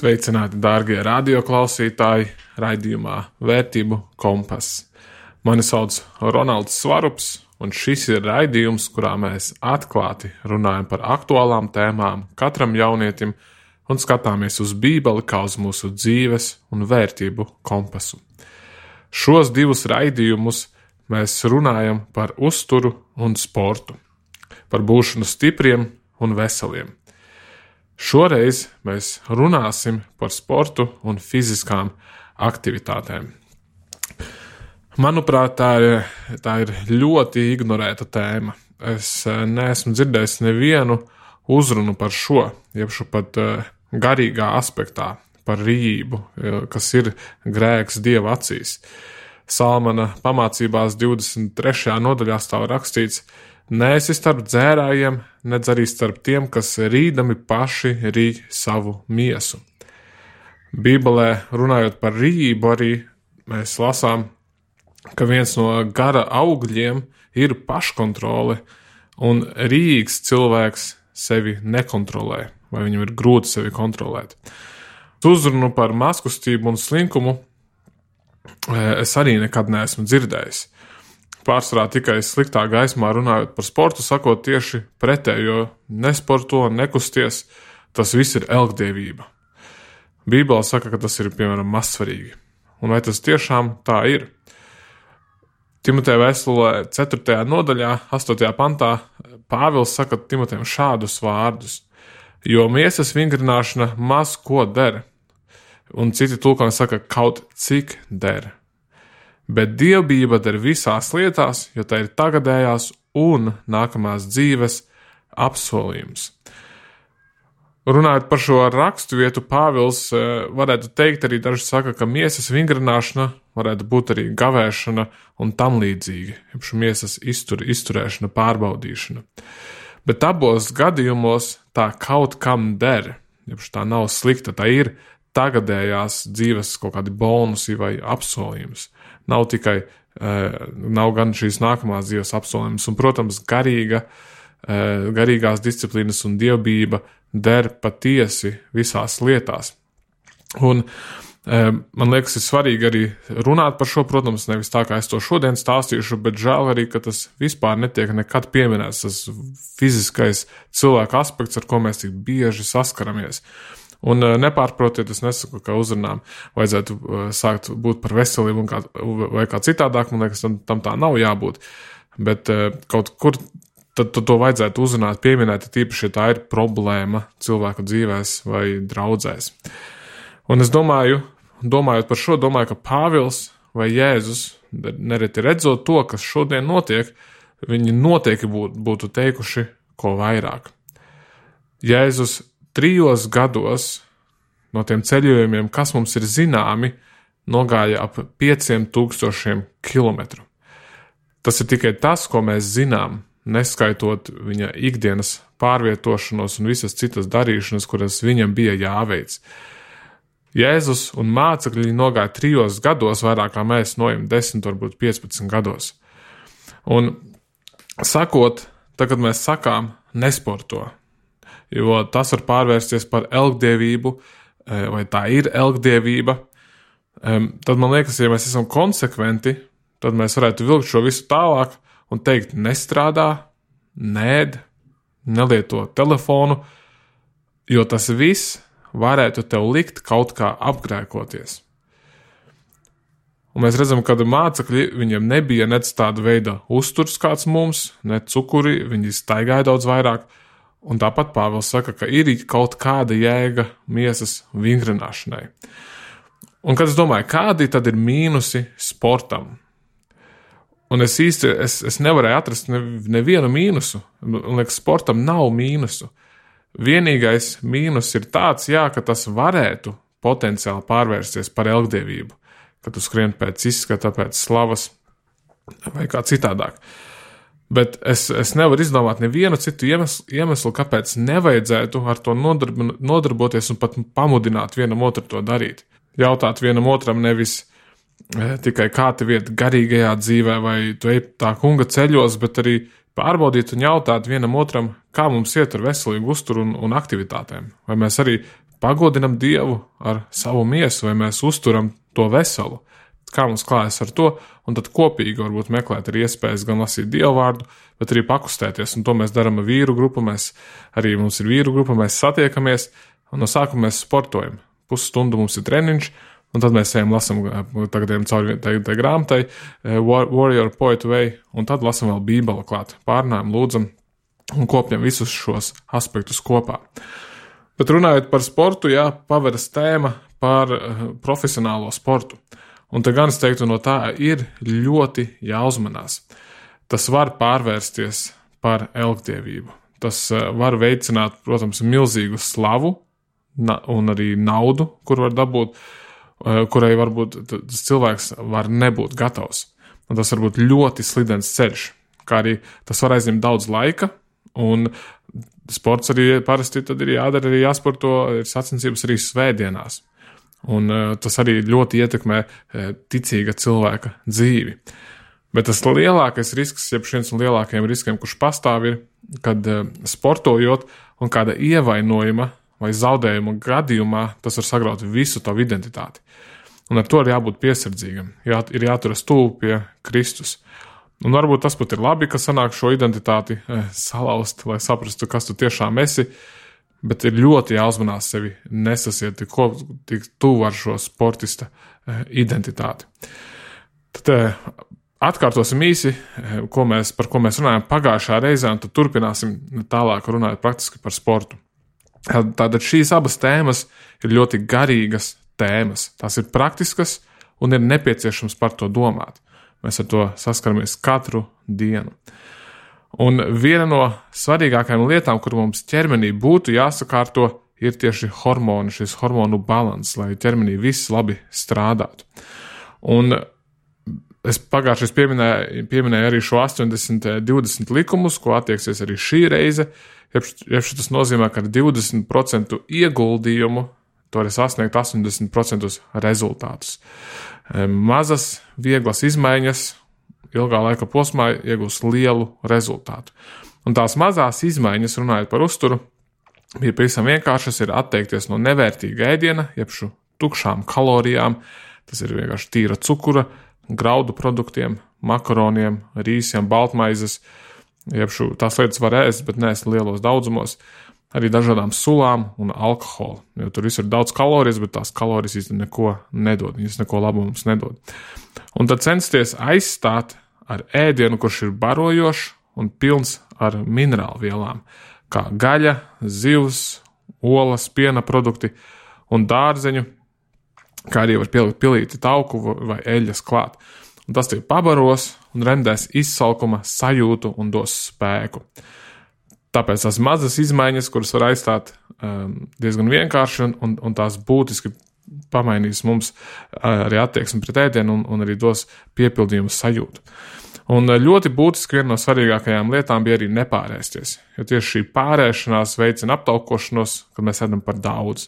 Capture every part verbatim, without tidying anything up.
Sveicināti, dārgie radioklausītāji, raidījumā Vērtību kompass. Mani sauc Ronalds Svarups, un šis ir raidījums, kurā mēs atklāti runājam par aktuālām tēmām katram jaunietim un skatāmies uz Bībeli kā uz mūsu dzīves un vērtību kompasu. Šos divus raidījumus mēs runājam par uzturu un sportu, par būšanu stipriem un veseliem. Šoreiz mēs runāsim par sportu un fiziskām aktivitātēm. Manuprāt, tā ir, tā ir ļoti ignorēta tēma. Es neesmu dzirdējis nevienu uzrunu par šo, jebšu pat garīgā aspektā, par rījību, kas ir grēks Dieva acīs. Salmana pamācībās divdesmit trešajā nodaļā stāv rakstīts: Neesi starp dzērājiem, nedz arī starp tiem, kas rīdami paši rīj savu miesu. Bībelē, runājot par rījību, arī mēs lasām, ka viens no gara augļiem ir paškontrole, un rījīgs cilvēks sevi nekontrolē, vai viņam ir grūti sevi kontrolēt. Uzrunu par mazkustību un slinkumu es arī nekad neesmu dzirdējis. Pārsvarā tikai sliktā gaismā runājot par sportu, sakot tieši pretējo: nesporto, nekusties, tas viss ir elgdievība. Bībelē saka, ka tas ir, piemēram, mazsvarīgi. Un vai tas tiešām tā ir? Timoteja vēstulē ceturtajā nodaļā, astotajā pantā, Pāvils saka Timotejam šādus vārdus: jo miesas vingrināšana maz ko der, un citi tulkojumi saka kaut cik der. Bet dievbijība der visās lietās, jo tā ir tagadējās un nākamās dzīves apsolījums. Runājot par šo rakstu vietu, Pāvils varētu teikt, arī daži saka, ka miesas vingrināšana varētu būt arī gavēšana un tam līdzīgi, jeb miesas iztur, izturēšana, pārbaudīšana. Bet abos gadījumos tā kaut kam der, jeb tā nav slikta, tā ir tagadējās dzīves kaut kādi bonusi vai apsolījums. Nav tikai, nav gan šīs nākamās dzīves apsolījums, un, protams, garīga, garīgās disciplīnas un dievbijība der patiesi visās lietās. Un man liekas, ir svarīgi arī runāt par šo, protams, nevis tā, kā es to šodien stāstīšu, bet žēl arī, ka tas vispār netiek nekad pieminēts, tas fiziskais cilvēka aspekts, ar ko mēs tik bieži saskaramies. Un nepārprotiet, es nesaku, ka uzrunām vajadzētu sākt būt par veselību un kā, vai kā citādāk, man liekas, tam, tam tā nav jābūt. Bet kaut kur tad, tad to vajadzētu uzrunāt, pieminēt, tīpaši, ja tā ir problēma cilvēku dzīvēs vai draudzēs. Un es domāju, domājot par šo, domāju, ka Pāvils vai Jēzus, nereti redzot to, kas šodien notiek, viņi noteikti būtu, būtu teikuši ko vairāk. Jēzus trijos gados no tiem ceļojumiem, kas mums ir zināmi, nogāja ap pieciem tūkstošiem kilometru. Tas ir tikai tas, ko mēs zinām, neskaitot viņa ikdienas pārvietošanos un visas citas darīšanas, kuras viņam bija jāveic. Jēzus un mācekļi nogāja trijos gados, vairāk kā mēs nojam desmit, varbūt piecpadsmit gados. Un sakot, tagad mēs sakām nesporto, jo tas var pārvērsties par elgdievību, vai tā ir elgdievība, tad man liekas, ja mēs esam konsekventi, tad mēs varētu vilkt šo visu tālāk un teikt: nestrādā, nēd, nelieto telefonu, jo tas viss varētu tev likt kaut kā apgrēkoties. Un mēs redzam, ka mācekļi, viņiem nebija nec tāda veida uzturs kāds mums, ne cukuri, viņi staigāja daudz vairāk. Un tāpat Pāvils saka, ka ir kaut kāda jēga miesas vingrināšanai. Un kad es domāju, kādi tad ir mīnusi sportam? Un es īsti, es, es nevarēju atrast ne, nevienu mīnusu. Un liekas, sportam nav mīnusu. Vienīgais mīnus ir tāds, jā, ka tas varētu potenciāli pārvērsties par elgdievību, ka tu skrien pēc izskata, pēc slavas vai kā citādāk. Bet es, es nevaru izdomāt nevienu citu iemeslu, iemeslu, kāpēc nevajadzētu ar to nodarb, nodarboties un pat pamudināt vienam otru to darīt. Jautāt vienam otram nevis e, tikai kā tev iet garīgajā dzīvē vai tu ej tā kunga ceļos, bet arī pārbaudīt un jautāt vienam otram, kā mums iet ar veselīgu uzturu un, un aktivitātēm. Vai mēs arī pagodinam Dievu ar savu miesu, vai mēs uzturam to veselu, kā mums klājas ar to, un tad kopīgi varbūt meklēt arī iespējas gan lasīt Dievu vārdu, bet arī pakustēties, un to mēs darām ar vīru grupu, mēs arī mums ir vīru grupa, mēs satiekamies, un no sākuma mēs sportojam. Pusstundu mums ir treniņš, un tad mēs ejam lasam tagadiem cauri tai, tai grāmatai Warrior Poet Way, un tad lasam vēl Bībeli klāt, pārnājam, lūdzam un kopjam visus šos aspektus kopā. Bet runājot par sportu, jā, paveras tēma par profesionālo sportu. Un te gan es teiktu, no tā ir ļoti jāuzmanās. Tas var pārvērsties par elgdievību. Tas var veicināt, protams, milzīgu slavu un arī naudu, kur var dabūt, kurai varbūt tas cilvēks var nebūt gatavs. Un tas var būt ļoti slidens ceļš, kā arī tas var aizņemt daudz laika, un sports arī parasti tad ir jādara, arī jāsporto, ir sacensības arī svētdienās. Un tas arī ļoti ietekmē ticīga cilvēka dzīvi. Bet tas lielākais risks, jeb viens no lielākajiem riskiem, kurš pastāv, ir, kad sportojot un kāda ievainojuma vai zaudējuma gadījumā, tas var sagraut visu tavu identitāti. Un ar to ir jābūt piesardzīgam, jā, ir jāturas tuvu pie Kristus. Un varbūt tas pat ir labi, ka sanāk šo identitāti eh, salauzt, lai saprastu, kas tu tiešām esi, bet ir ļoti jāuzmanās sevi nesasiet tik, tik tuvu ar šo sportista eh, identitāti. Tad eh, atkārtosim īsi, eh, ko mēs, par ko mēs runājam pagājušā reizē, un tad turpināsim tālāk runāt praktiski par sportu. Tātad šīs abas tēmas ir ļoti garīgas tēmas. Tās ir praktiskas un ir nepieciešams par to domāt. Mēs ar to saskaramies katru dienu. Un viena no svarīgākajām lietām, kur mums ķermenī būtu jāsakārto, ir tieši hormoni, šis hormonu balans, lai ķermenī viss labi strādātu. Un es pagājušais pieminēju, pieminēju arī šo astoņdesmit divdesmit likumus, ko attieksies arī šī reize. Ja tas nozīmē, ka ar divdesmit procentu ieguldījumu to var sasniegt astoņdesmit procentus rezultātus. Mazas, vieglas izmaiņas ilgā laika posmā iegūs lielu rezultātu. Un tās mazās izmaiņas, runājot par uzturu, bija pavisam vienkāršas, ir atteikties no nevērtīga ēdiena, jeb šo tukšām kalorijām, tas ir vienkārši tīra cukura, graudu produktiem, makaroniem, rīsiem, baltmaizes, jeb šo, tās lietas var ēst, bet neēst lielos daudzumos, arī dažādām sulām un alkoholu, jo tur viss ir daudz kalorijas, bet tās kalorijas īsti neko nedod, viņas neko labu mums nedod. Un tad censties aizstāt ar ēdienu, kurš ir barojošs un pilns ar minerālu vielām, kā gaļa, zivs, olas, piena produkti un dārzeņu, kā arī var pielikt pilīti tauku vai eļas klāt. Un tas tie pabaros un remdēs izsalkuma sajūtu un dos spēku. Tāpēc tās mazas izmaiņas, kuras var aizstāt um, diezgan vienkārši un, un, un tās būtiski pamainīs mums arī attieksmi pret ēdienu un, un arī dos piepildījumu sajūtu. Un ļoti būtiski viena no svarīgākajām lietām bija arī nepārēsties, jo tieši šī pārēšanās veicina aptaukošanos, kad mēs ēdam par daudz.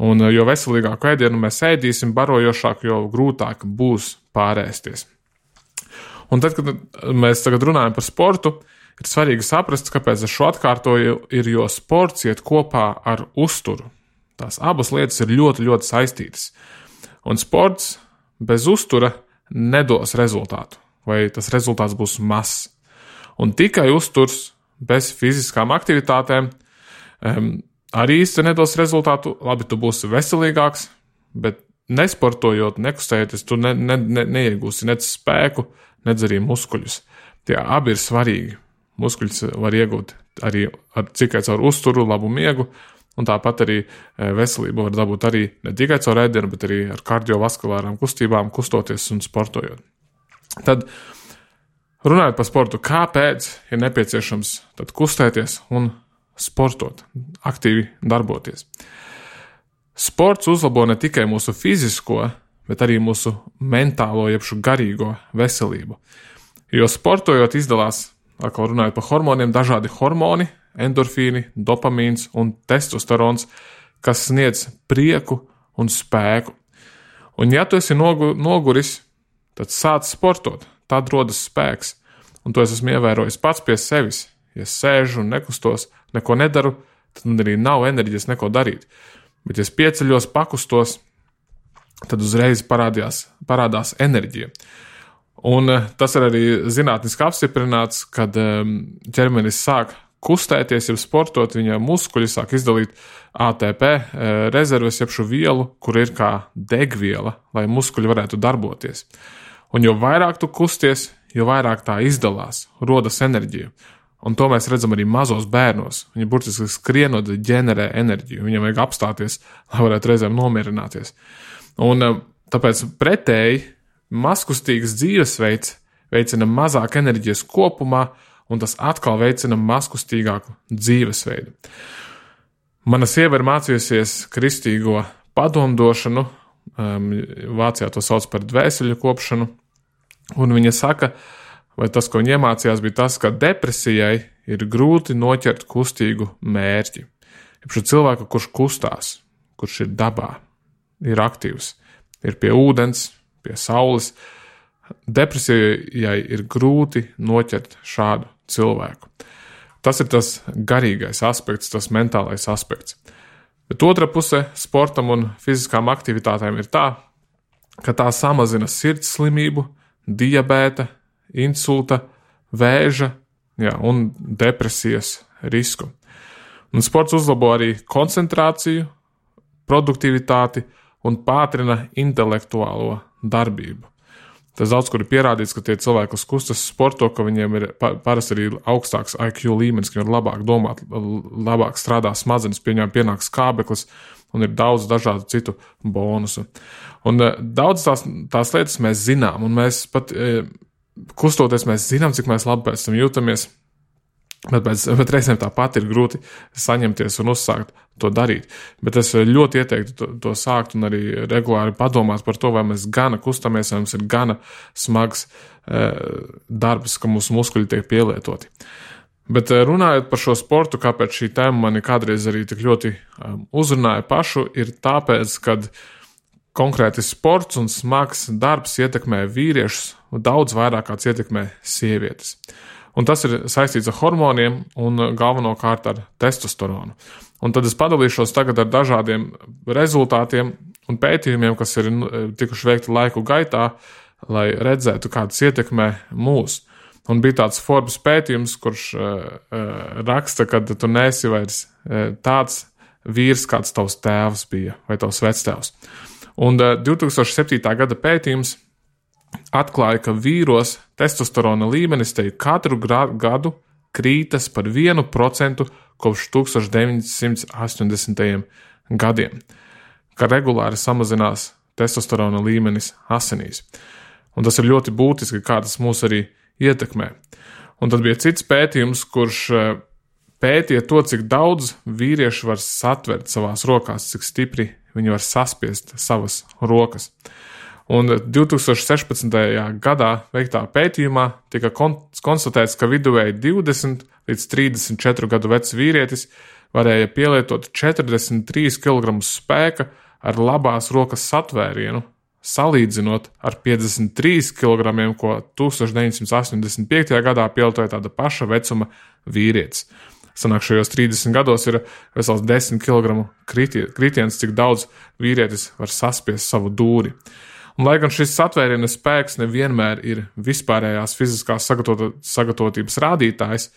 Un jo veselīgāku ēdienu mēs ēdīsim, barojošāk, jo grūtāk būs pārēsties. Un tad, kad mēs tagad runājam par sportu, ir svarīgi saprast, kāpēc es šo atkārtoju, ir, jo sports iet kopā ar uzturu. Tās abas lietas ir ļoti, ļoti saistītas. Un sports bez uztura nedos rezultātu, vai tas rezultāts būs mazs. Un tikai uzturs bez fiziskām aktivitātēm um, arī īsti nedos rezultātu. Labi, tu būsi veselīgāks, bet nesportojot, nekustējoties, tu ne, ne, ne, neiegūsi nec spēku, nec arī muskuļus. Tie abi ir svarīgi. Muskuļus var iegūt arī ar, tikai caur uzturu, labu miegu, un tāpat arī veselību var dabūt arī ne tikai caur ēdienu, bet arī ar kardiovaskulārām kustībām, kustoties un sportojot. Tad, runājot par sportu, kāpēc ir nepieciešams tad kustēties un sportot, aktīvi darboties? Sports uzlabo ne tikai mūsu fizisko, bet arī mūsu mentālo, jeb garīgo veselību. Jo sportojot izdalās, atkal runājot par hormoniem, dažādi hormoni, endorfīni, dopamīns un testosterons, kas sniedz prieku un spēku. Un ja tu esi nogu, noguris, tad sāc sportot, tad rodas spēks. Un to es esmu ievērojis pats pie sevis. Ja sēžu un nekustos, neko nedaru, tad man arī nav enerģijas neko darīt. Bet, ja es pieceļos, pakustos, tad uzreiz parādījās, parādās enerģija. Un tas ir arī zinātniski apstiprināts, kad ķermenis sāk kustēties, ja sportot, viņa muskuļi sāk izdalīt A T P rezerves, jeb šo vielu, kur ir kā degviela, lai muskuļi varētu darboties. Un jo vairāk tu kusties, jo vairāk tā izdalās, rodas enerģija. Un to mēs redzam arī mazos bērnos. Viņi burtiski skrienot ģenerē enerģiju. Viņam vajag apstāties, lai varētu reizēm nomierināties. Un tāpēc pretēji mazkustīgs dzīvesveids veicina mazāk enerģijas kopumā, un tas atkal veicina mazkustīgāku dzīvesveidu. Mana sieva ir mācījusies kristīgo padomdošanu, um, Vācijā to sauc par dvēseļu kopšanu, un viņa saka, vai tas, ko viņa iemācījās, bija tas, ka depresijai ir grūti noķert kustīgu mērķi. Šo cilvēku, kurš kustās, kurš ir dabā, ir aktīvs, ir pie ūdens, pie saules, depresijai ir grūti noķert šādu cilvēku. Tas ir tas garīgais aspekts, tas mentālais aspekts. Bet otra puse sportam un fiziskām aktivitātēm ir tā, ka tā samazina sirds slimību, diabēta, insulta, vēža, jā, un depresijas risku. Un sports uzlabo arī koncentrāciju, produktivitāti un pātrina intelektuālo darbību. Tas daudz, kur ir pierādīts, ka tie cilvēki, kas kustas sporto, ka viņiem ir parasti arī augstāks I Q līmenis, ka viņi var labāk domāt, labāk strādā smadzenes, pieņem pienāks skābeklis un ir daudz dažādu citu bonusu. Un daudz tās, tās lietas mēs zinām, un mēs pat kustoties, mēs zinām, cik mēs labi pēc tam jūtamies, bet, bet, bet reizēm tāpat ir grūti saņemties un uzsākt to darīt. Bet es ļoti ieteiktu to, to sākt un arī regulāri padomāt par to, vai mēs gana kustamies, vai mums ir gana smags e, darbs, ka mūsu muskuļi tiek pielietoti. Bet runājot par šo sportu, kāpēc šī tēma mani kādreiz arī tik ļoti um, uzrunāja pašu, ir tāpēc, kad konkrēti sports un smags darbs ietekmē vīriešus daudz vairāk kāds ietekmē sievietes. Un tas ir saistīts ar hormoniem un galvenokārt ar testosteronu. Un tad es padalīšos tagad ar dažādiem rezultātiem un pētījumiem, kas ir tikuši veikti laiku gaitā, lai redzētu, kādas ietekmē mūs. Un bija tāds Forbes pētījums, kurš uh, raksta, ka tu neesi vairs uh, tāds vīrs, kāds tavs tēvs bija vai tavs vectēvs. Un uh, divi tūkstoši septītā gada pētījums atklāja, ka vīros testosterona līmenis te katru gadu krītas par vienu procentu kopš tūkstoš deviņi simti astoņdesmitajiem gadiem, ka regulāri samazinās testosterona līmenis asinīs. Un tas ir ļoti būtiski, kā tas mūs arī ietekmē. Un tad bija cits pētījums, kurš pētīja to, cik daudz vīrieši var satvert savās rokās, cik stipri viņi var saspiest savas rokas. Un divi tūkstoši sešpadsmitajā gadā veiktā pētījumā tika konstatēts, ka viduvēji divdesmit līdz trīsdesmit četru gadu vecs vīrietis varēja pielietot četrdesmit trīs kilogramus spēka ar labās rokas satvērienu, salīdzinot ar piecdesmit trīs kilogramiem, ko tūkstoš deviņi simti astoņdesmit piektajā gadā pielietoja tāda paša vecuma vīrietis. Sanāk, šajos trīsdesmit gados ir vesels desmit kilogramu kritiens, cik daudz vīrietis var saspiest savu dūri. Un, lai gan šis satvēriena spēks nevienmēr ir vispārējās fiziskās sagatavotības rādītājs,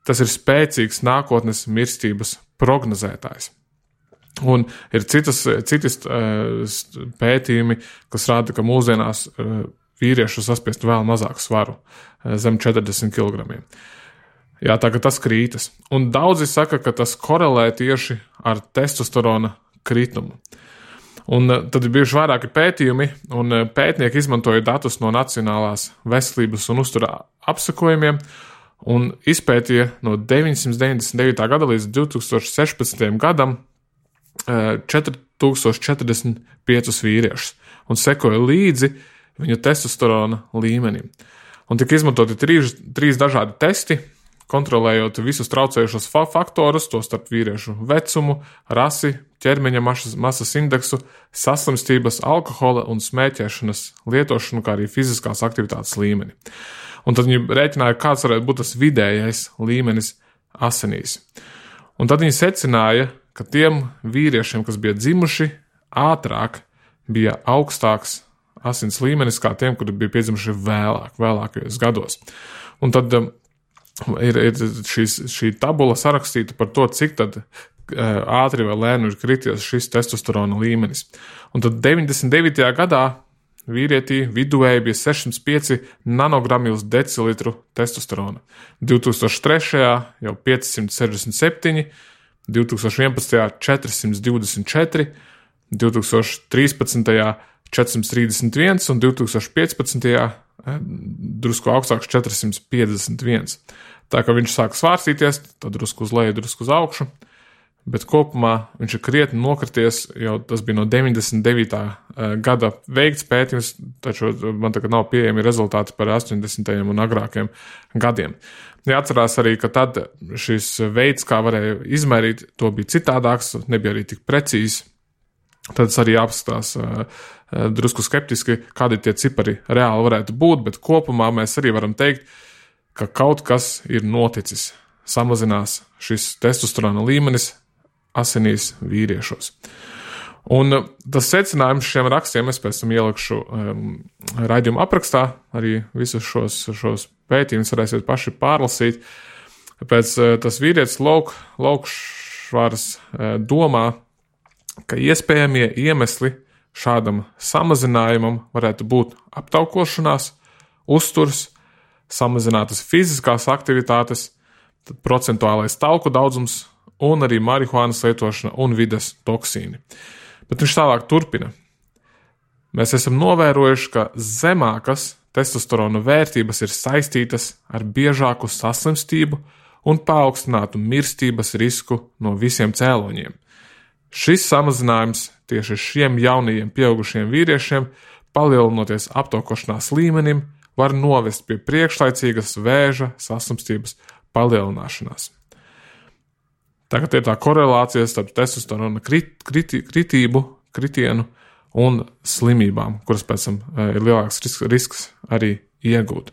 tas ir spēcīgs nākotnes mirstības prognozētājs. Un ir citas, citas pētījumi, kas rāda, ka mūsdienās vīriešu saspiest vēl mazāku svaru, zem četrdesmit kilogramiem. Jā, tā ka tas krītas. Un daudzi saka, ka tas korelē tieši ar testosterona kritumu. Un tad ir bijuši vairāki pētījumi, un pētnieki izmantoja datus no Nacionālās veselības un uztura apsakojumiem un izpētīja no deviņsimt deviņdesmit devītā gada līdz divi tūkstoši sešpadsmitajam gadam četri tūkstoši četrdesmit piecus vīriešus un sekoja līdzi viņu testosterona līmenim. Un tika izmantoti trīs, trīs dažādi testi, kontrolējot visus traucējušos faktorus, to starp vīriešu vecumu, rasi, ķermeņa masas, masas indeksu, saslimstības, alkohola un smēķēšanas lietošanu, kā arī fiziskās aktivitātes līmeni. Un tad viņi rēķināja, kāds varētu būt tas vidējais līmenis asinīs. Un tad viņi secināja, ka tiem vīriešiem, kas bija dzimuši ātrāk, bija augstāks asins līmenis kā tiem, kuri bija piedzimuši vēlāk, vēlākajos gados. Un tad um, ir, ir šīs, šī tabula sarakstīta par to, cik tad uh, ātri vai lēni ir krities šis testosterona līmenis. Un tad deviņdesmit devītajā gadā vīrietī viduvēji bija sešsimt pieci nanogrammi uz decilitru testosterona. divi tūkstoši trešajā jau piecsimt sešdesmit septiņi, divi tūkstoši vienpadsmitajā četri divdesmit četri, divi tūkstoši trīspadsmitajā četri trīsdesmit viens un divi tūkstoši piecpadsmitajā drusku augstāks četri piecdesmit viens. Tā kā viņš sāk svārstīties, tad drusku uz leju, drusku uz augšu, bet kopumā viņš ir krietni nokrities, jau tas bija no deviņdesmit devītā gada veikts pētījums, taču man tagad nav pieejami rezultāti par astoņdesmitajiem un agrākiem gadiem. Jāatcerās arī, ka tad šis veids, kā varēja izmērīt, to bija citādāks, nebija arī tik precīzi. Tad es arī apskatās drusku skeptiski, kādi tie cipari reāli varētu būt, bet kopumā mēs arī varam teikt, ka kaut kas ir noticis. Samazinās šis testosterona līmenis asinīs vīriešos. Un tas secinājums šiem rakstiem es pēc tam ielikšu um, raidījuma aprakstā, arī visus šos, šos pētījumus varēsiet paši pārlasīt. Pēc uh, tas vīrietis Lauk, Laukšvārs uh, domā, ka iespējamie iemesli šādam samazinājumam varētu būt aptaukošanās, uzturs, samazinātas fiziskās aktivitātes, tad procentuālais tauku daudzums un arī marihuānas lietošana un vides toksīni. Bet viņš tālāk turpina. Mēs esam novērojuši, ka zemākas testosterona vērtības ir saistītas ar biežāku saslimstību un paaugstinātu mirstības risku no visiem cēloņiem. Šis samazinājums tieši šiem jaunajiem pieaugušiem vīriešiem, palielinoties aptaukošanās līmenim, var novest pie priekšlaicīgas vēža saslimstības palielināšanās. Tagad ir tā korelācija starp testosterona krit, kriti, kritību, kritienu un slimībām, kuras pēc tam ir lielāks risks, risks arī iegūt.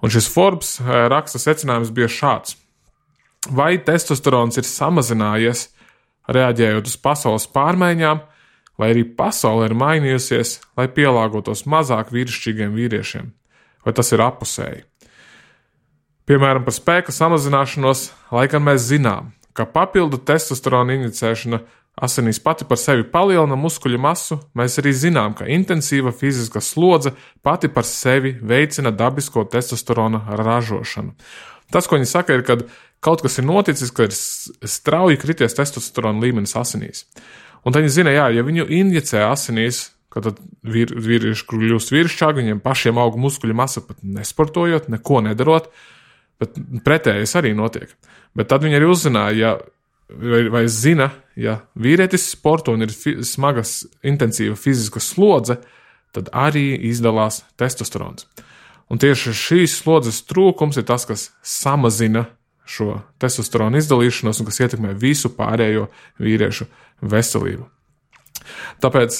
Un šis Forbes raksta secinājums bija šāds. Vai testosterons ir samazinājies, reaģējot uz pasaules pārmaiņām, vai arī pasaule ir mainījusies, lai pielāgotos mazāk vīrišķīgiem vīriešiem? Vai tas ir apusēji? Piemēram, par spēka samazināšanos, lai gan mēs zinām, ka papildu testosterona injicēšana asinīs pati par sevi palielina muskuļu masu, mēs arī zinām, ka intensīva fiziska slodze pati par sevi veicina dabisko testosterona ražošanu. Tas, ko viņi saka, ir, ka kaut kas ir noticis, ka ir strauji krities testosterona līmenis asinīs. Un tad viņi zina, jā, ja viņu injicē asinīs, kad tad vīr, vīrieši kļūst vīrišķāki, viņiem pašiem aug muskuļu masa pat nesportojot, neko nedarot, bet pretējais arī notiek. Bet tad viņi arī uzzināja, ja, vai, vai zina, ja vīrietis sporto un ir fi, smagas, intensīva fiziska slodze, tad arī izdalās testosterons. Un tieši šīs slodzes trūkums ir tas, kas samazina šo testosteronu izdalīšanos un kas ietekmē visu pārējo vīriešu veselību. Tāpēc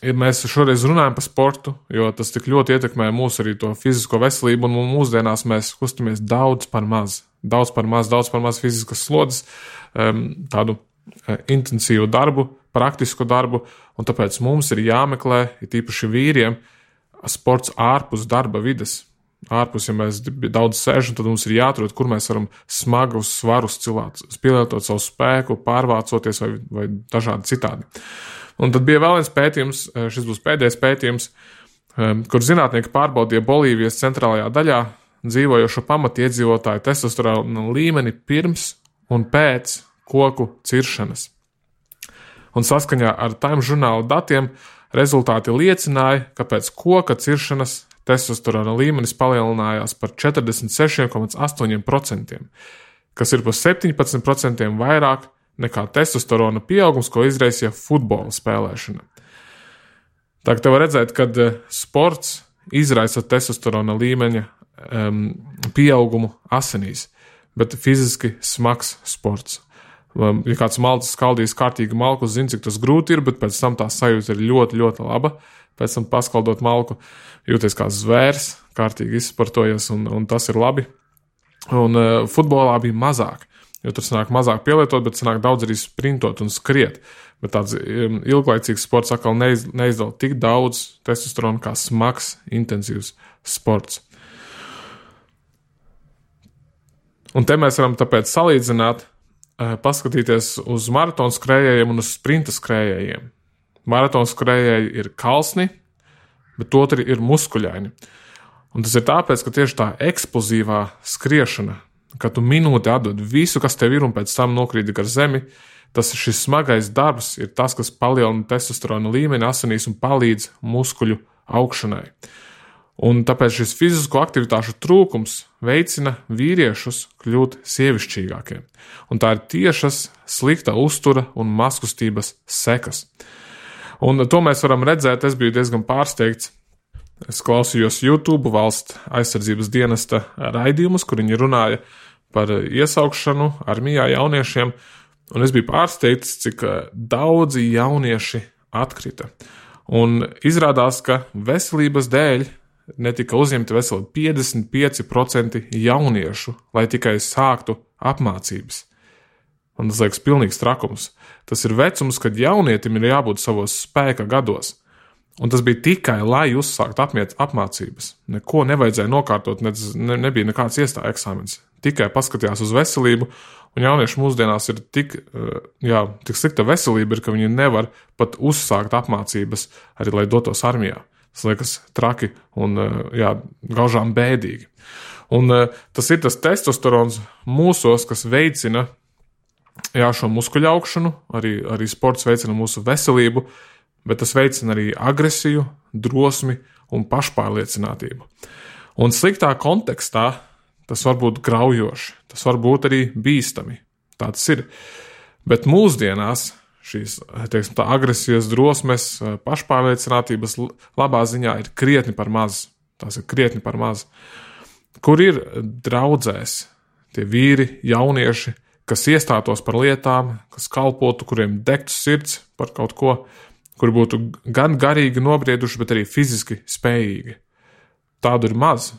ja mēs šoreiz runājam par sportu, jo tas tik ļoti ietekmē mūsu arī to fizisko veselību, un mūsdienās mēs kustamies daudz par maz, daudz par maz, daudz par maz fiziskas slodzes, tādu intensīvu darbu, praktisku darbu, un tāpēc mums ir jāmeklē, ir tīpaši vīriem, sports ārpus darba vides. Ārpus, ja mēs daudz sēžam, tad mums ir jāatrod, kur mēs varam smagus svarus cilāt, pielietot savu spēku, pārvācoties vai, vai dažādi citādi. Un tad bija vēl viens pētījums, šis būs pēdējais pētījums, kur zinātnieki pārbaudīja Bolīvijas centrālajā daļā dzīvojošo pamatiedzīvotāju testosterona līmeni pirms un pēc koku ciršanas. Un saskaņā ar Time žurnāla datiem rezultāti liecināja, ka pēc koka ciršanas testosterona līmenis palielinājās par četrdesmit seši komats astoņi procenti, kas ir par septiņpadsmit procentiem vairāk nekā testosterona pieaugums, ko izraisīja futbola spēlēšana. Tā kā te var redzēt, ka sports izraisa testosterona līmeņa um, pieaugumu asinīs, bet fiziski smags sports. Um, ja kāds malcis skaldīs kārtīgi malku, zina, cik tas grūti ir, bet pēc tam tā sajūta ir ļoti, ļoti laba. Pēc tam paskaldot malku, jūties kā zvērs, kārtīgi izsportojies, un, un tas ir labi. Un uh, futbolā bija mazāk. jo tur sanāk mazāk pielietot, bet sanāk daudz arī sprintot un skriet. Bet tāds ilglaicīgs sports atkal neiz, neizdala tik daudz testosteronu kā smags, intensīvs sports. Un te mēs varam tāpēc salīdzināt, paskatīties uz maratonu skrējējiem un uz sprinta skrējējiem. Maratonu skrējēji ir kalsni, bet otri ir muskuļaini. Un tas ir tāpēc, ka tieši tā eksplozīvā skriešana, kad tu minūti atdod visu, kas tev ir, un pēc tam nokrīti gar zemi, tas šis smagais darbs ir tas, kas palielina testosterona līmeni asinīs un palīdz muskuļu augšanai. Un tāpēc šis fizisko aktivitāšu trūkums veicina vīriešus kļūt sievišķīgākiem. Un tā ir tiešas slikta uztura un mazkustības sekas. Un to mēs varam redzēt, es biju diezgan pārsteigts. Es klausījos YouTube valsts aizsardzības dienesta raidījumus, kur viņi runāja par iesaukšanu armijā jauniešiem, un es biju pārsteigts, cik daudzi jaunieši atkrita. Un izrādās, ka veselības dēļ netika uzņemti veseli piecdesmit pieci procenti jauniešu, lai tikai sāktu apmācības. Un tas liekas pilnīgs trakums. Tas ir vecums, kad jaunietim ir jābūt savos spēka gados. Un tas bija tikai, lai uzsāktu apmiet, apmācības. Neko nevajadzēja nokārtot, ne, ne, nebija nekāds iestāja eksāmens. Tikai paskatījās uz veselību, un jaunieši mūsdienās ir tik, jā, tik slikta veselība, ir, ka viņi nevar pat uzsākt apmācības, arī lai dotos armijā. Tas liekas traki un jā, gaužām bēdīgi. Un tas ir tas testosterons mūsos, kas veicina jā, šo muskuļu augšanu, arī, arī sports veicina mūsu veselību, bet tas veicina arī agresiju, drosmi un pašpārliecinātību. Un sliktā kontekstā tas var būt graujoši, tas var būt arī bīstami. Tā tas ir. Bet mūsdienās šīs, teiksim, tā agresijas, drosmes, pašpārliecinātības labā ziņā ir krietni par maz. Tās ir krietni par maz. Kur ir draudzēs tie vīri, jaunieši, kas iestātos par lietām, kas kalpotu, kuriem degtu sirds par kaut ko, kuri būtu gan garīgi nobrieduši, bet arī fiziski spējīgi. Tādu ir maz.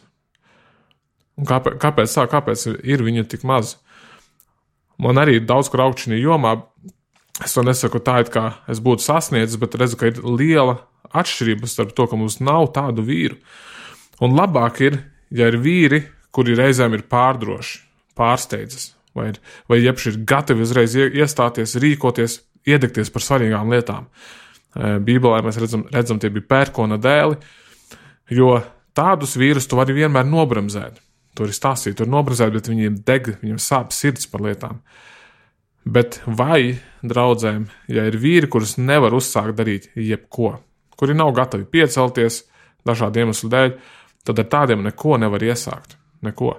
Un kāpēc, kāpēc tā? Kāpēc ir viņa tik maz? Man arī ir daudz kur augt šajā jomā. Es to nesaku tā, it kā es būtu sasniedzis, bet redzu, ka ir liela atšķirība starp to, ka mums nav tādu vīru. Un labāk ir, ja ir vīri, kuri reizēm ir pārdroši, pārsteidzas, vai, ir, vai jebši ir gatavi uzreiz iestāties, rīkoties, iedegties par svarīgām lietām. Bībelē mēs redzam, redzam tie bija pērkona dēli, jo tādus vīrus tu vari vienmēr nobremzēt. To ir stāstīt, tu vari nobremzēt, bet viņiem deg, viņiem sāp sirds par lietām. Bet vai draudzēm, ja ir vīri, kurus nevar uzsākt darīt jebko, kuri nav gatavi piecelties dažādu iemeslu dēļ, tad ar tādiem neko nevar iesākt. Neko.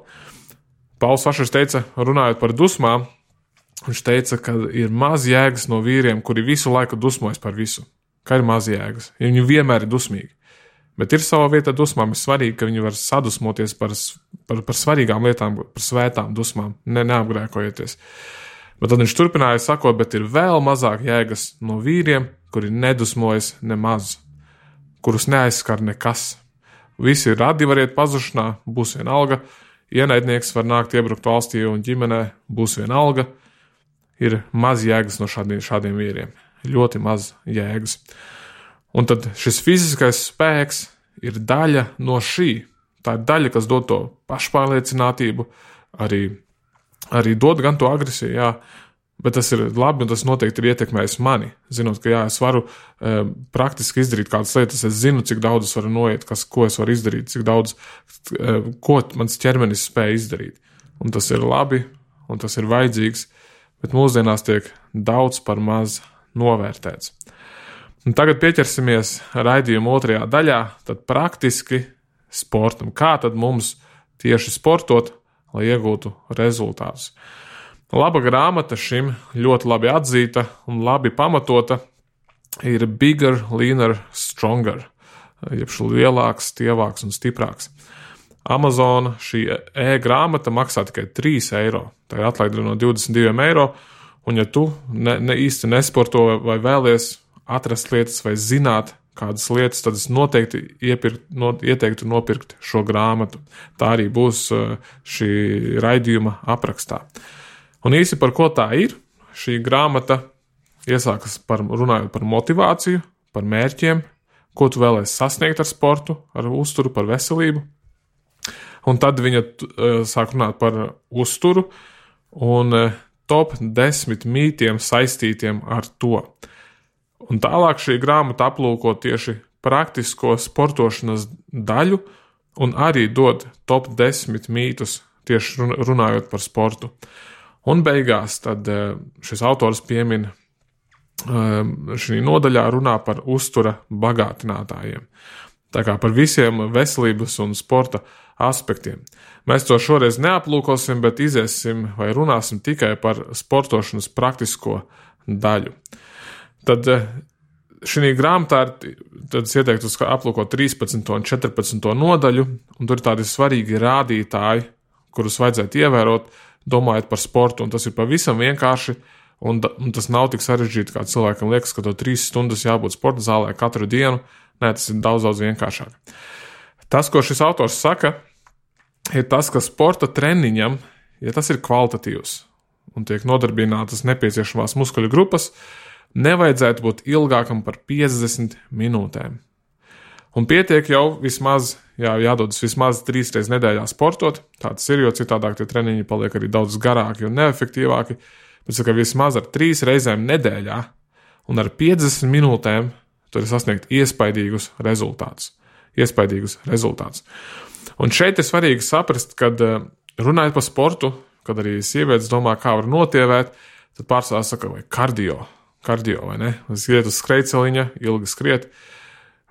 Pauls Vašers teica, runājot par dusmām, viņš teica, ka ir maz jēgas no vīriem, kuri visu laiku dusmojas par visu. Ka ir maz jēgas, ja viņi vienmēr ir dusmīgi. Bet ir savā vietā dusmām, ir svarīgi, ka viņi var sadusmoties par, par, par svarīgām lietām, par svētām dusmām, ne, neapgrēkojieties. Bet tad viņš turpināja sakot, bet ir vēl mazāk jēgas no vīriem, kuri nedusmojas nemaz, kurus neaizskar nekas. Visi radi var iet pazušanā, būs vienalga, ienaidnieks var nākt iebrukt valstī un ģimenē, būs vienalga. Ir maz jēgas no šādiem, šādiem vīriem, ļoti maz jēgas. Un tad šis fiziskais spēks ir daļa no šī. Tā ir daļa, kas dod to pašpārliecinātību, arī Arī dod gan to agresiju, jā, bet tas ir labi un tas noteikti ir ietekmējis mani. Zinot, ka jā, es varu e, praktiski izdarīt kādas lietas, es zinu, cik daudz es varu noiet, kas, ko es varu izdarīt, cik daudz, e, ko mans ķermenis spēja izdarīt. Un tas ir labi, un tas ir vajadzīgs, bet mūsdienās tiek daudz par maz novērtēts. Un tagad pieķersimies raidījuma otrajā daļā, tad praktiski sportam. Kā tad mums tieši sportot, lai iegūtu rezultātus. Laba grāmata šim ļoti labi atzīta un labi pamatota ir Bigger, Leaner, Stronger, jeb lielāks, stievāks un stiprāks. Amazon šī e-grāmata maksā tikai trīs eiro, tā ir atlaide no divdesmit diviem eiro, un ja tu ne, ne īsti nesporto vai vēlies atrast lietas vai zināt kādas lietas, tad es noteikti iepirkt, no, ieteiktu nopirkt šo grāmatu. Tā arī būs šī raidījuma aprakstā. Un īsi par ko tā ir, šī grāmata iesākas par, runājot par motivāciju, par mērķiem, ko tu vēlēsi sasniegt ar sportu, ar uzturu, par veselību. Un tad viņa uh, sāk runāt par uzturu un uh, top desmit mītiem saistītiem ar to. Un tālāk šī grāmata aplūko tieši praktisko sportošanas daļu un arī dod top desmit mītus tieši runājot par sportu. Un beigās tad uh, šis autors piemin šī nodaļā runā par uztura bagātinātājiem. Tā kā par visiem veselības un sporta aspektiem. Mēs to šoreiz neaplūkosim, bet iziesim vai runāsim tikai par sportošanas praktisko daļu. Tad šī grāmatā tad es ieteiktu aplūkot trīspadsmito un četrpadsmito nodaļu, un tur ir tādi svarīgi rādītāji, kurus vajadzētu ievērot, domājot par sportu, un tas ir pavisam vienkārši. Un, un tas nav tik sarežģīti, kā cilvēkam liekas, ka to trīs stundas jābūt sporta zālē katru dienu. Nē, tas ir daudz, daudz vienkāršāk. Tas, ko šis autors saka, ir tas, ka sporta treniņam, ja tas ir kvalitatīvs un tiek nodarbinātas nepieciešamās muskuļu grupas, nevajadzētu būt ilgākam par piecdesmit minūtēm. Un pietiek jau vismaz, jā, jādodas vismaz trīs reizes nedēļā sportot. Tāds ir, jo citādāk tie treniņi paliek arī daudz garāki un neefektīvāki. Bet ka vismaz ar trīs reizēm nedēļā un ar piecdesmit minūtēm tur ir sasniegt iespaidīgus rezultātus. Iespaidīgus rezultātus. Un šeit ir svarīgi saprast, kad runājot par sportu, kad arī sievietes domā, kā var notievēt, tad pārsvarā saka, vai kardio, kardio vai ne? Es iet uz skrejceliņa, ilgi skriet,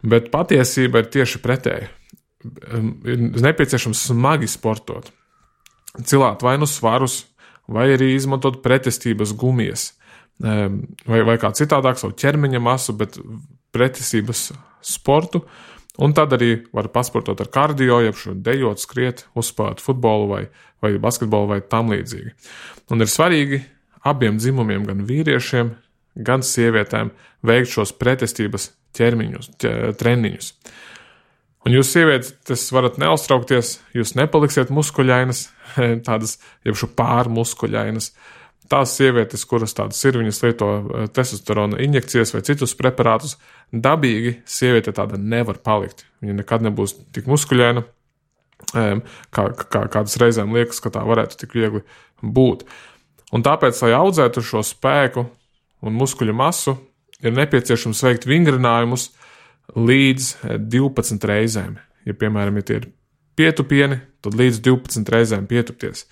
bet patiesība ir tieši pretēji. Ir nepieciešams smagi sportot. Cilāt vai nu svarus, vai arī izmantot pretestības gumijas, vai, vai kā citādāk savu ķermeņa masu, bet pretestības sportu, un tad arī var pasportot ar kardio, jeb šo dejot, skriet, uzspēlēt futbolu vai, vai basketbolu vai tam līdzīgi. Un ir svarīgi abiem dzimumiem, gan vīriešiem, gan sievietēm, veikt šos pretestības ķermiņus, treniņus. Un jūs sievietes, tas varat neuztraukties, jūs nepaliksiet muskuļainas, tādas, jeb šo pārmuskuļainas. Tās sievietes, kuras tādas ir, viņas lieto testosterona injekcijas vai citus preparātus, dabīgi sieviete tāda nevar palikt. Viņa nekad nebūs tik muskuļaina, kā, kā kādas reizēm liekas, ka tā varētu tik viegli būt. Un tāpēc, lai audzētu šo spēku un muskuļu masu, ir nepieciešams veikt vingrinājumus līdz divpadsmit reizēm. Ja, piemēram, ja tie ir pietupieni, tad līdz divpadsmit reizēm pietupties.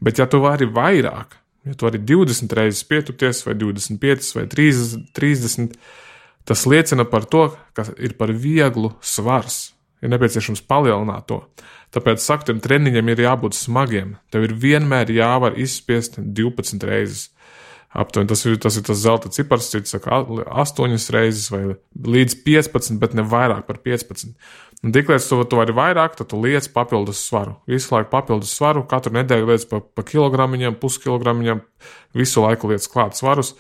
Bet ja tu vari vairāk, ja tu vari divdesmit reizes pietupties, vai divdesmit piecas, vai trīsdesmit, tas liecina par to, ka ir par vieglu svars. Ir nepieciešams palielināt to. Tāpēc, saku, tiem treniņiem ir jābūt smagiem. Tev ir vienmēr jāvar izspiest divpadsmit reizes. Aptuveni tas ir tas, ir tas zelta cipars, cits saka astoņas reizes vai līdz piecpadsmit, bet ne vairāk par piecpadsmit. Un tiklīdz tu, tu vari vairāk, tad tu liec papildus svaru. Visu laiku papildus svaru, katru nedēļu liec pa, pa kilogramiņam, puskilogramiņam, visu laiku liec klāt svarus,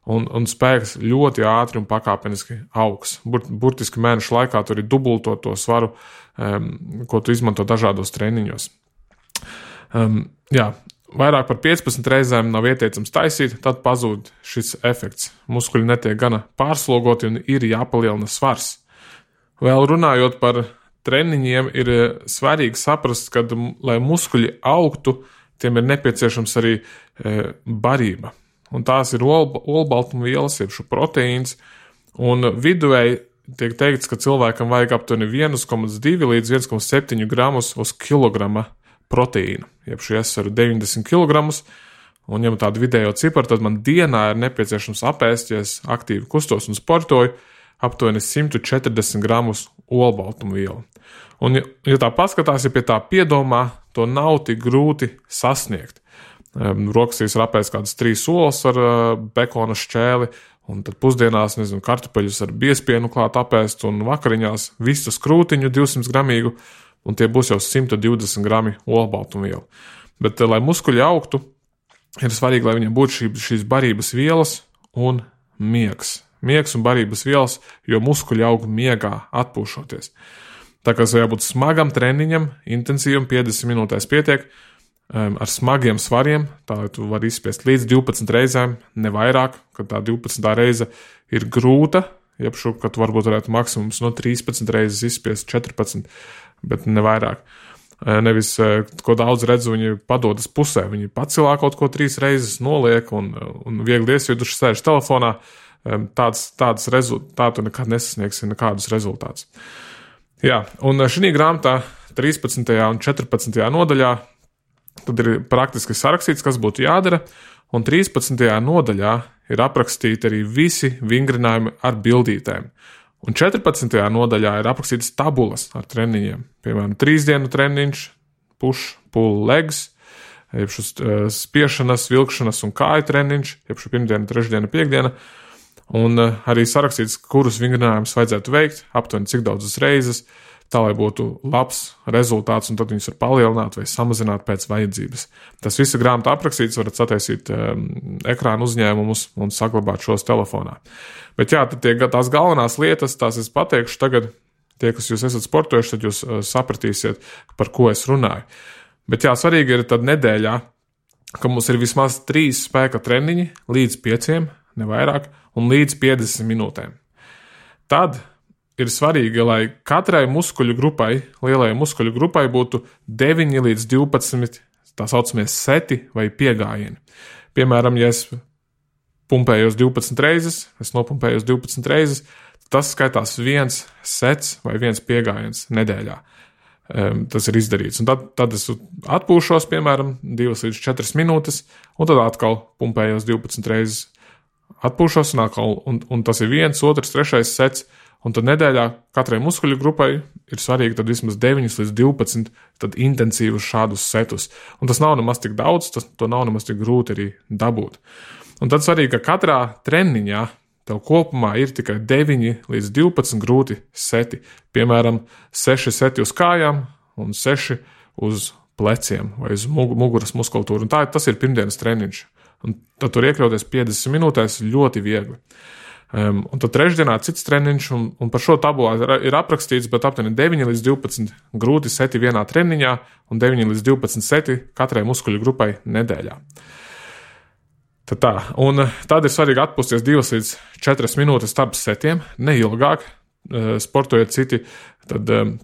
un, un spēks ļoti ātri un pakāpeniski augs. Bur, burtiski mēnešu laikā tur ir dubultot to svaru, um, ko tu izmanto dažādos treniņos. Um, jā. Vairāk par piecpadsmit reizēm nav ieteicams taisīt, tad pazūd šis efekts. Muskuļi netiek gana pārslogoti un ir jāpalielina svars. Vēl runājot par treniņiem, ir svarīgi saprast, ka, lai muskuļi augtu, tiem ir nepieciešams arī e, barība. Un tās ir olbaltumvielas, jeb šo proteīns, un viduvēji tiek teikts, ka cilvēkam vajag aptuveni viens komats divi līdz viens komats septiņi gramus uz kilograma proteīna, jeb šī es varu deviņdesmit kilogramus, un ja man tādu vidējo ciparu, tad man dienā ir nepieciešams apēst, ja es aktīvi kustos un sportoju, aptuveni simt četrdesmit gramus olbaltumvielu. Un, ja, ja tā paskatās, ja pie tā piedomā, to nav tik grūti sasniegt. Um, Rokastīs ir apēst kādas trīs olas ar uh, bekona šķēli, un tad pusdienās, nezinu, kartupeļus ar biespienu klāt apēst, un vakariņās visu skrūtiņu divsimt gramīgu, un tie būs jau simt divdesmit grami olbaltumvielu. Bet, lai muskuļi augtu, ir svarīgi, lai viņiem būtu šī, šīs barības vielas un miegs. Miegs un barības vielas, jo muskuļi aug miegā, atpūšoties. Tā kā jābūt smagam treniņam, intensīvam, piecdesmit minūtēs pietiek, um, ar smagiem svariem, tā tu vari izspiest līdz divpadsmit reizēm, ne vairāk, kad tā divpadsmitā reize ir grūta, jebšu, ka tu varbūt varētu maksimums no trīspadsmit reizes izspiest četrpadsmit, bet ne vairāk. Nevis, ko daudz redzu, viņi padodas pusē, viņi pacilā kaut ko trīs reizes, noliek un, un viegli iesvieduši sēž telefonā, tāds, tāds rezultātu nekad nesasniegsi nekādus rezultātus. Jā, un šī grāmatā trīspadsmitajā un četrpadsmitajā nodaļā tad ir praktiski sarakstīts, kas būtu jādara, un trīspadsmitajā nodaļā ir aprakstīti arī visi vingrinājumi ar bildītēm. Un četrpadsmitajā nodaļā ir aprakstītas tabulas ar treniņiem. Piemēram, trīs dienu treniņš, push, pull, legs, jebšu spiešanas, vilkšanas un kāju treniņš, jebšu pirmdiena, trešdiena, piekdiena. Un arī sarakstīts, kurus vingrinājumus vajadzētu veikt, aptuveni cik daudzas reizes, tā lai būtu labs rezultāts, un tad viņus var palielināt vai samazināt pēc vajadzības. Tas viss grāmatā aprakstīts, varat sataisīt um, ekrānu uzņēmumus un saglabāt šos telefonā. Bet jā, tad tie, tās galvenās lietas, tās es pateikšu tagad, tie, kas jūs esat sportojuši, tad jūs uh, sapratīsiet, par ko es runāju. Bet jā, svarīgi ir tad nedēļā, ka mums ir vismaz trīs spēka treniņi līdz pieciem, ne vairāk, un līdz piecdesmit minūtēm. Tad ir svarīgi, lai katrai muskuļu grupai, lielajai muskuļu grupai būtu deviņi līdz divpadsmit tā saucamie seti vai piegājieni. Piemēram, ja es pumpējos divpadsmit reizes, es nopumpējos divpadsmit reizes, tas skaitās viens sets vai viens piegājiens nedēļā. Um, tas ir izdarīts. Un tad, tad es atpūšos, piemēram, divas līdz četras minūtes, un tad atkal pumpējos divpadsmit reizes, atpūšos, un, atkal, un, un tas ir viens, otrs, trešais sets. Un tad nedēļā katrai muskuļu grupai ir svarīgi tad vismaz deviņi līdz divpadsmit tad intensīvus šādus setus. Un tas nav nemaz tik daudz, tas, to nav nemaz tik grūti arī dabūt. Un tad svarīgi, ka katrā treniņā tev kopumā ir tikai deviņi līdz divpadsmit grūti seti. Piemēram, seši seti uz kājām un seši uz pleciem vai uz muguras muskultūru. Un tā, tas ir pirmdienas treniņš. Un tad tur iekļauties piecdesmit minūtēs ļoti viegli. Um, un tad trešdienā cits treniņš, un, un par šo tabulā ir, ir aprakstīts, bet aptuveni deviņi līdz divpadsmit grūti seti vienā treniņā un deviņi līdz divpadsmit seti katrai muskuļu grupai nedēļā. Tad tā, un tad ir svarīgi atpūsties divas līdz četras minūtes starp setiem, neilgāk, sportojiet citi, tad um,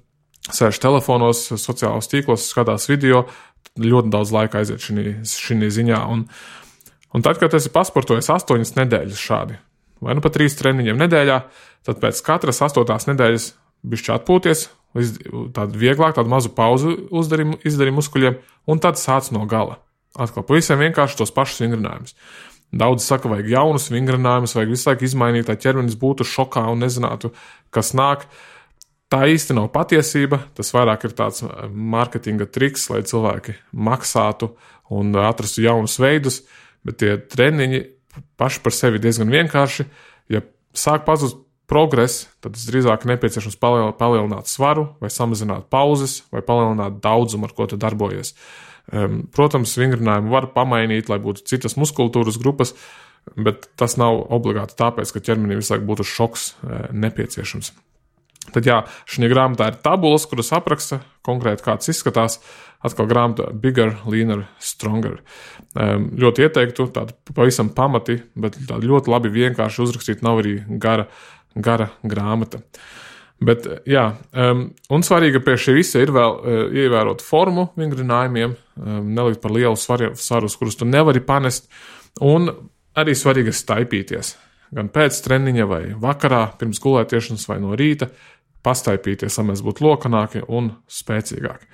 sēž telefonos, sociālos tīklos, skatās video, ļoti daudz laika aiziet šī ziņā, un, un tad, kad esi pasportojis astoņas nedēļas šādi, vai nu pat trīs treniņiem nedēļā, tad pēc katras astotās nedēļas bišķi atpūties, tādu vieglāk, tādu mazu pauzu uzdarīju, izdarīju muskuļiem, un tad sāc no gala. Atkal pavisam vienkārši tos pašus vingrinājumus. Daudz saka, vajag jaunus vingrinājumus, vajag visu laiku izmainīt, lai ķermenis būtu šokā un nezinātu, kas nāk. Tā īsti nav patiesība, tas vairāk ir tāds marketinga triks, lai cilvēki maksātu un atrastu jaunus veidus, bet tie treniņi paši par sevi diezgan vienkārši. Ja sāk pazust progress, tad drīzāk nepieciešams palielināt svaru vai samazināt pauzes vai palielināt daudzumu, ar ko tu darbojies. Protams, vingrinājumu var pamainīt, lai būtu citas muskultūras grupas, bet tas nav obligāti tāpēc, ka ķermenim visu laiku būtu šoks nepieciešams. Tad jā, šī grāmatā ir tabulas, kuras apraksta konkrēti kāds izskatās. Atkal grāmata Bigger, Leaner, Stronger. Um, ļoti ieteiktu, tādu pavisam pamati, bet tādu ļoti labi vienkārši uzrakstīt, nav arī gara, gara grāmata. Bet jā, um, un svarīgi pie šī visa ir vēl uh, ievērot formu vingrinājumiem, um, nelikt par lielu svaru, svarus, kurus tu nevari panest, un arī svarīgi ir staipīties. Gan pēc treniņa vai vakarā, pirms gulētiešanas vai no rīta, pastaipīties, lai mēs būtu lokanāki un spēcīgāki.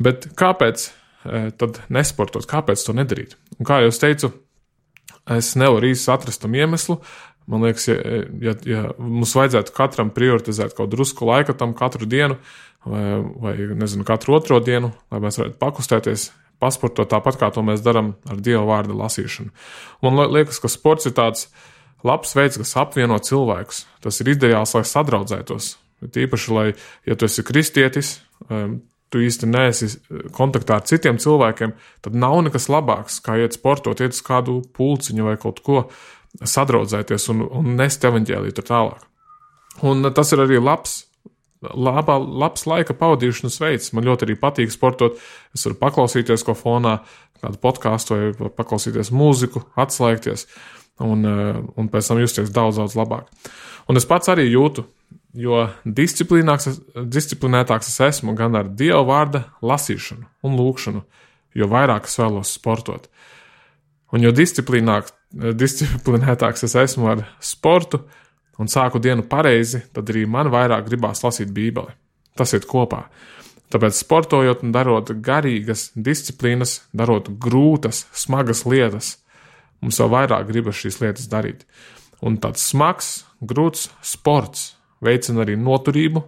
Bet kāpēc e, tad nesportot, kāpēc to nedarīt? Un kā jau es teicu, es nevaru īsti atrast tam iemeslu. Man liekas, ja, ja, ja mums vajadzētu katram prioritizēt kaut drusku laika tam katru dienu vai, vai nezinu, katru otro dienu, lai mēs varētu pakustēties, pasportot tāpat, kā to mēs daram ar Dieva vārda lasīšanu. Man liekas, ka sports ir tāds labs veids, kas apvieno cilvēkus. Tas ir ideāls, lai sadraudzētos. Tīpaši, lai, ja tu esi kristietis, tu īsti neesi kontaktā ar citiem cilvēkiem, tad nav nekas labāks, kā iet sportot, iet uz kādu pulciņu vai kaut ko, sadraudzēties un, un nest evaņģēliju tur tālāk. Un tas ir arī labs laba, labs laika pavadīšanas veids. Man ļoti arī patīk sportot. Es varu paklausīties ko fonā, kādu podkāstu vai paklausīties mūziku, atslēgties un, un pēc tam justies daudz, daudz labāk. Un es pats arī jūtu, jo disciplinētāks es esmu gan ar Dieva vārda lasīšanu un lūkšanu, jo vairāk es vēlos sportot. Un jo disciplinētāks es esmu ar sportu un sāku dienu pareizi, tad arī man vairāk gribās lasīt Bībeli. Tas iet kopā. Tāpēc sportojot un darot garīgas disciplīnas, darot grūtas, smagas lietas, mums vēl vairāk gribas šīs lietas darīt. Un tāds smags, grūts sports veicina arī noturību,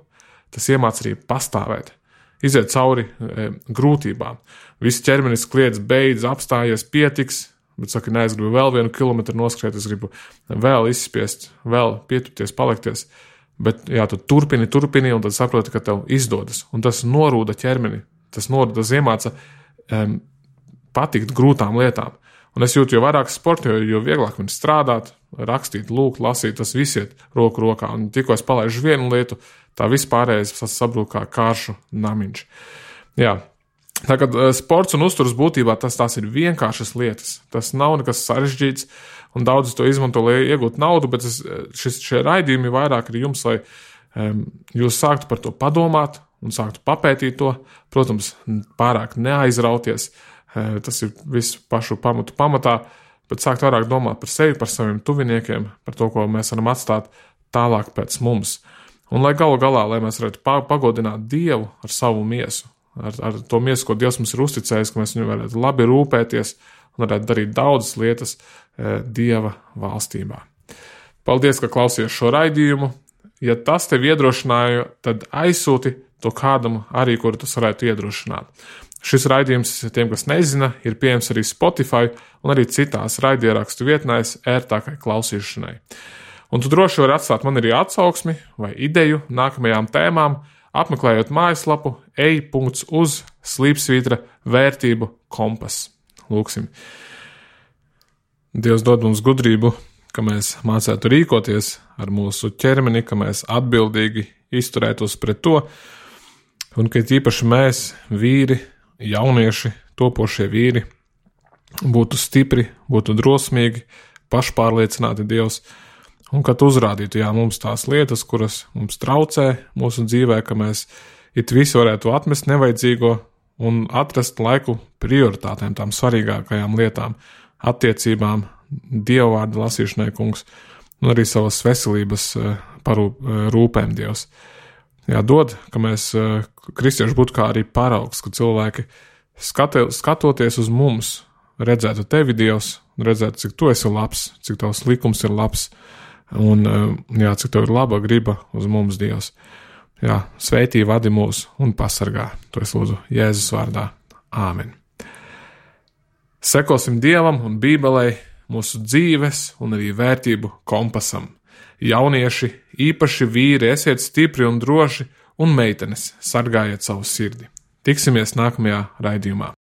tas iemāc arī pastāvēt, iziet cauri e, grūtībām. Viss ķermenis kliedz, beidz, apstājies, pietiks, bet saka, nē, es gribu vēl vienu kilometru noskriet, es gribu vēl izspiest, vēl pietupties, palikties. Bet jā, tu turpini, turpini, un tad saproti, ka tev izdodas. Un tas norūda ķermeni, tas norūda, tas iemāca um, patikt grūtām lietām. Un es jūtu, jo vairāk sportoju, jo vieglāk man strādāt, rakstīt, lūgt, lasīt, tas viss iet roku rokā. Un tikko es palaižu vienu lietu, tā vispārējais sabrūk kā kāršu namiņš. Jā. Tagad sports un uzturas būtībā tas tās ir vienkāršas lietas. Tas nav nekas sarežģīts, un daudz to izmanto, lai iegūtu naudu, bet es, šis, šie raidījumi vairāk ir jums, lai um, jūs sāktu par to padomāt un sāktu papētīt to. Protams, pārāk neaizrauties, uh, tas ir visu pašu pamatu pamatā, bet sākt vairāk domāt par sevi, par saviem tuviniekiem, par to, ko mēs varam atstāt tālāk pēc mums. Un lai galu galā, lai mēs varētu pagodināt Dievu ar savu miesu, Ar, ar to miesu, ko Dievs mums ir uzticējis, ka mēs viņu varētu labi rūpēties un varētu darīt daudzas lietas e, Dieva valstībā. Paldies, ka klausījies šo raidījumu. Ja tas tevi iedrošināja, tad aizsūti to kādam arī, kuru tas varētu iedrošināt. Šis raidījums, tiem, kas nezina, ir pieejams arī Spotify un arī citās raidierakstu vietnēs ērtākai klausīšanai. Un tu droši vari atstāt man arī atsauksmi vai ideju nākamajām tēmām, apmeklējot mājaslapu ej punkts uz slīpsvītra vērtību kompas. Lūksim. Dievs dod mums gudrību, ka mēs mācētu rīkoties ar mūsu ķermeni, ka mēs atbildīgi izturētos pret to, un ka īpaši mēs, vīri, jaunieši, topošie vīri, būtu stipri, būtu drosmīgi, pašpārliecināti Dievs, un kad uzrādītu, jā, mums tās lietas, kuras mums traucē mūsu dzīvē, ka mēs it visi varētu atmest nevajadzīgo un atrast laiku prioritātēm, tām svarīgākajām lietām, attiecībām, dievvvārda lasīšanai, kungs, un arī savas veselības parūp, rūpēm Dievs. Jā, dod, ka mēs kristieši būtu kā arī paraugs, ka cilvēki skate, skatoties uz mums, redzētu tevi, Dievs, un redzētu, cik tu esi labs, cik tavs likums ir labs, un jā, cik tev ir laba griba uz mums, Dievs. Jā, sveitī vadi mūs un pasargā. To es lūdzu Jēzus vārdā. Āmen. Sekosim Dievam un Bībelei, mūsu dzīves un arī vērtību kompasam. Jaunieši, īpaši vīri, esiet stipri un droši, un meitenes, sargājiet savu sirdi. Tiksimies nākamajā raidījumā.